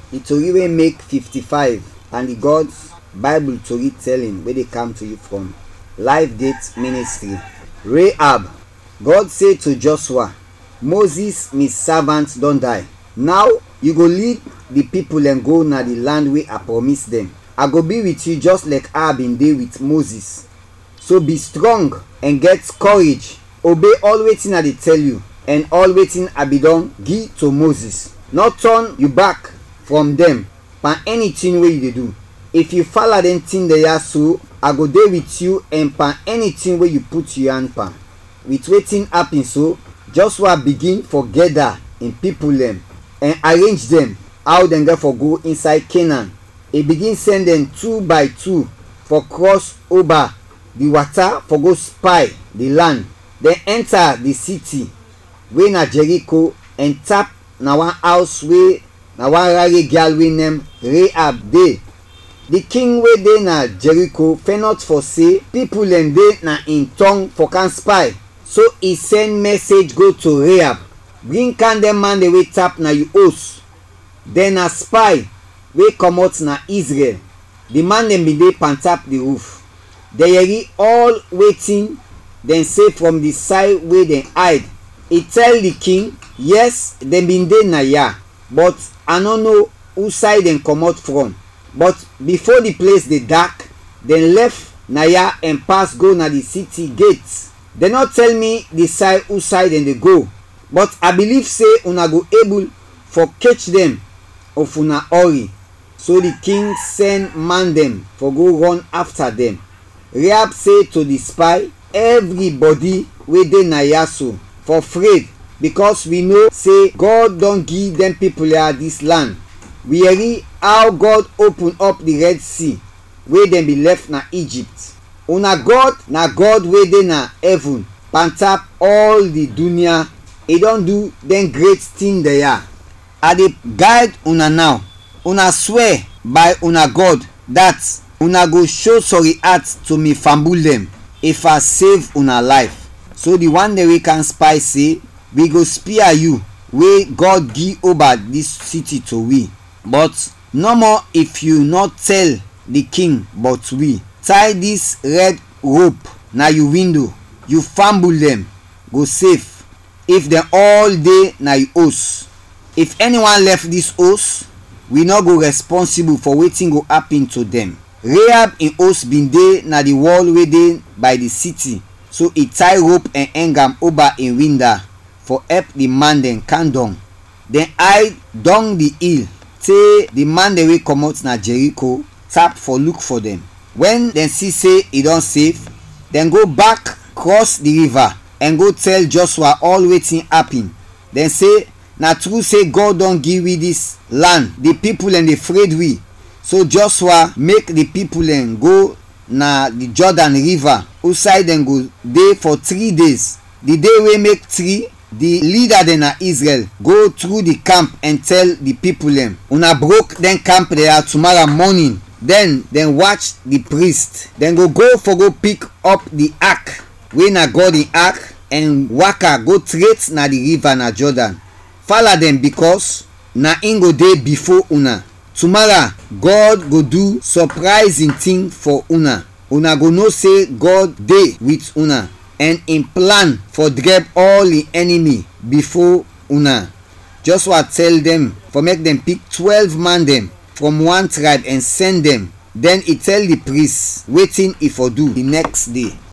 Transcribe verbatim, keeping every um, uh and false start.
Di tori wey make fifty-five and di God's Bible tori telling wey dey come to you from Life Gate Ministry. Rahab. God say to Joshua, "Moses, mi savant, don die. Now you go lead di pipul dɛn go na di land wey I promise dɛn. I go be wit yu jɔs lɛk a bin de wit Moses. So bi strɔng ɛn gɛt kɔrej, obey ɔl wetin I de tɛl yu ɛn ɔl wetin I bin dɔn gi to Moses. Nɔ tɔn yu bak frɔm dɛn pan ɛni tin we yu de du. If yu fala dɛn tin dɛn ya so, I go de wit yu ɛn pan ɛni tin we yu put yu an pan." Wit wetin apin so, Jɔshua bigin fɔ gɛda in pipul dɛn ɛn arenj dɛn aw dɛn gɛt fɔ go insay Kenan. I bigin sɛn dɛn tu bay tu fɔ krɔs oba di wata fɔ go spay di lan. Dɛn ɛnta di siti we na Jɛriko ɛn tap na wan aws we na wan rare gyal we nem Rahab de. Di king we de na Jɛriko fɛnɔt fɔ se pipul dɛn de na in tɔng fɔ kam spay, so i sɛn mɛsej go to Rahab, "Bring kam dɛn man dɛn we tap na yu os. Dɛn na spay we kɔmɔt na Izrɛl." Di man dɛn bin de pantap di ruf. Dɛn yɛri ɔl wetin dɛn se frɔm di say we dɛn ayd. I tɛl di king, "Yɛs, dɛn bin de naya, bɔt a nɔ no usay dɛn kɔmɔt frɔm. Bɔt bifo di ples de dak, dɛn lɛf naya ɛn pas go na di siti get. Dɛn nɔ tɛl mi di say usay dɛn de go, bɔt a biliv se una go ebul fɔ kech dɛn if una ɔri." So di king sɛn man dɛn fɔ go rɔn afta dɛn. Rahab se to di spay, "Ɛvribɔdi we de naya so fɔ fred, bikɔs wi no se Gɔd dɔn gi dɛn pipul ya dis lan. Wi yɛri aw Gɔd opun ɔp di Rɛd Si we dɛn bin lɛf na Ijipt. Una Gɔd na Gɔd we de na ɛvin, pantap ɔl di dunya. I dɔn du dɛn gret tin dɛn ya. A de gayd una naw. Una swɛ bay una Gɔd dat una go sho sɔri at to mi fambul dɛn if a sev una layf." So di wan dɛn we kam spay se, "Wi go spia yu we Gɔd gi oba dis siti to wi. Bɔt nɔmɔ if yu nɔ tɛl di king bɔt wi. Tay dis rɛd rop na yu windo, yu fambul dɛn go sef if dɛn ɔl de na yu os. If ɛniwan lɛf dis os, wi nɔ go rɛspɔnsibul fɔ wetin go apin to dɛn." Rahab in os bin de na di wɔl we de bay di siti, so i tay rop ɛn ɛng am oba in winda fɔ ɛp di man dɛn kam dɔng. Dɛn ayd dɔng di il te di man dɛn we kɔmɔt na Jɛriko tap fɔ luk fɔ dɛn. Wɛn dɛn si se i dɔn sef, dɛn go bak krɔs di riva ɛn go tɛl Jɔshua ɔl wetin apin. Dɛn se, "Na tru se Gɔd dɔn gi wi dis lan, di pipul dɛn de fred wi." So Jɔshua mek di pipul dɛn go na di Jɔdan riva, usay dɛn go de fɔ tri dez. Di de we mek tri, di lida dɛn na Izrɛl go tru di kamp ɛn tɛl di pipul dɛn, "Una brok dɛn kamp dɛn ya tumara mɔnin." Dɛn dɛn wach di prist. Dɛn go go fɔ go pik ɔp di ak we na Gɔd in ak, ɛn waka go tret na di riva na Jɔdan. Fala dɛn, bikɔs na in go de bifo una. Tumara, Gɔd go du sɔprayzin tin fɔ una. Una go no se Gɔd de wit una, ɛn in plan fɔ drɛb ɔl in ɛnimi bifo una. Jɔshua tɛl dɛn fɔ mek dɛn pik twɛlv man dɛn frɔm wan trayb ɛn sɛn dɛn. Dɛn i tɛl di pris wetin i fɔ du di nɛks de.